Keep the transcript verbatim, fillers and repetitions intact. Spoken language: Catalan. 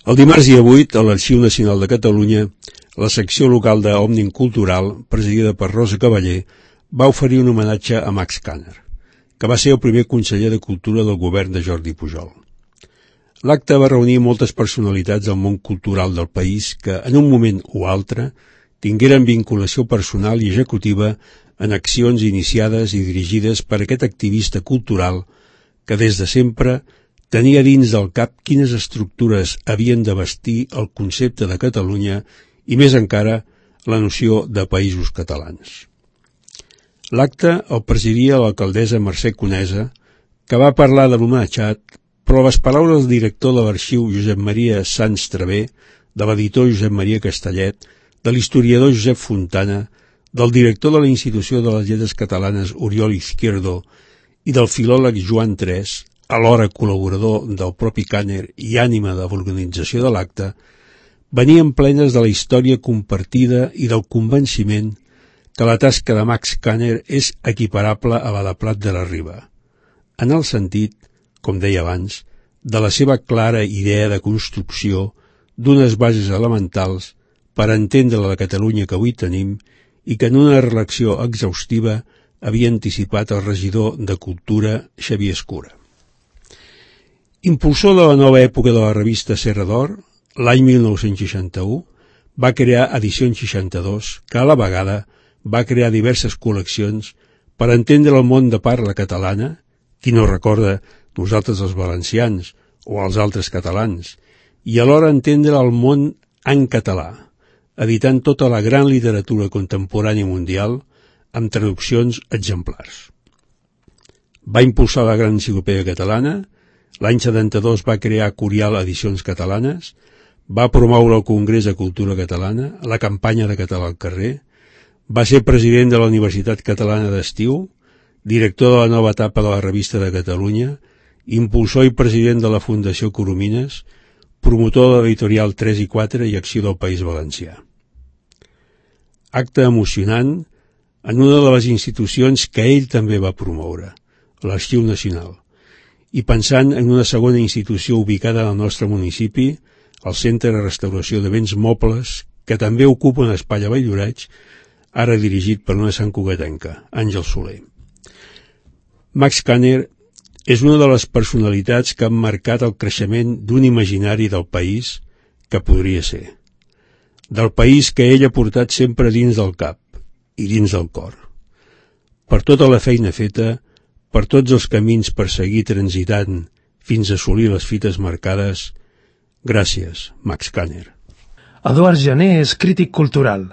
El dimarts dia vuit, a l'Arxiu Nacional de Catalunya, la secció local d'Òmnium Cultural, presidida per Rosa Cavaller, va oferir un homenatge a Max Kanner, que va ser el primer conseller de Cultura del govern de Jordi Pujol. L'acte va reunir moltes personalitats del món cultural del país que, en un moment o altre, tingueren vinculació personal i executiva en accions iniciades i dirigides per aquest activista cultural que des de sempre tenia dins del cap quines estructures havien de vestir el concepte de Catalunya i, més encara, la noció de països catalans. L'acte el presidia l'alcaldessa Mercè Conesa, que va parlar de l'homenatjat, però les paraules del director de l'arxiu Josep Maria Sans Travé, de l'editor Josep Maria Castellet, de l'historiador Josep Fontana, del director de la Institució de les Lletres Catalanes Oriol Izquierdo i del filòleg Joan Tres, alhora col·laborador del propi Kanner i ànima de l'organització de l'acte, venien plenes de la història compartida i del convenciment que la tasca de Max Kanner és equiparable a la de Prat de la Riba, en el sentit, com deia abans, de la seva clara idea de construcció d'unes bases elementals per entendre la Catalunya que avui tenim i que en una relecció exhaustiva havia anticipat el regidor de Cultura Xavier Escura. Impulsor de la nova època de la revista Serra d'Or, l'any mil nou-cents seixanta-u, va crear Edicions seixanta-dos, que a la vegada va crear diverses col·leccions per entendre el món de parla catalana, qui no recorda nosaltres els valencians o els altres catalans, i alhora entendre el món en català, editant tota la gran literatura contemporània mundial amb traduccions exemplars. Va impulsar la Gran Enciclopèdia Catalana, l'any setanta-dos va crear Curial Edicions Catalanes, va promoure el Congrés de Cultura Catalana, la campanya de Català al carrer, va ser president de la Universitat Catalana d'Estiu, director de la nova etapa de la Revista de Catalunya, impulsor i president de la Fundació Coromines, promotor de l'editorial tres i quatre i Acció del País Valencià. Acte emocionant en una de les institucions que ell també va promoure, l'Arxiu Nacional, i pensant en una segona institució ubicada al nostre municipi, el Centre de Restauració de Béns Mobles, que també ocupa un espai a Valldoreix, ara dirigit per una santcugatenca, Àngel Soler. Max Kanner és una de les personalitats que han marcat el creixement d'un imaginari del país que podria ser, del país que ell ha portat sempre dins del cap i dins del cor. Per tota la feina feta, per tots els camins per seguir transitant fins a assolir les fites marcades, gràcies, Max Kanner. Eduard Jané és crític cultural.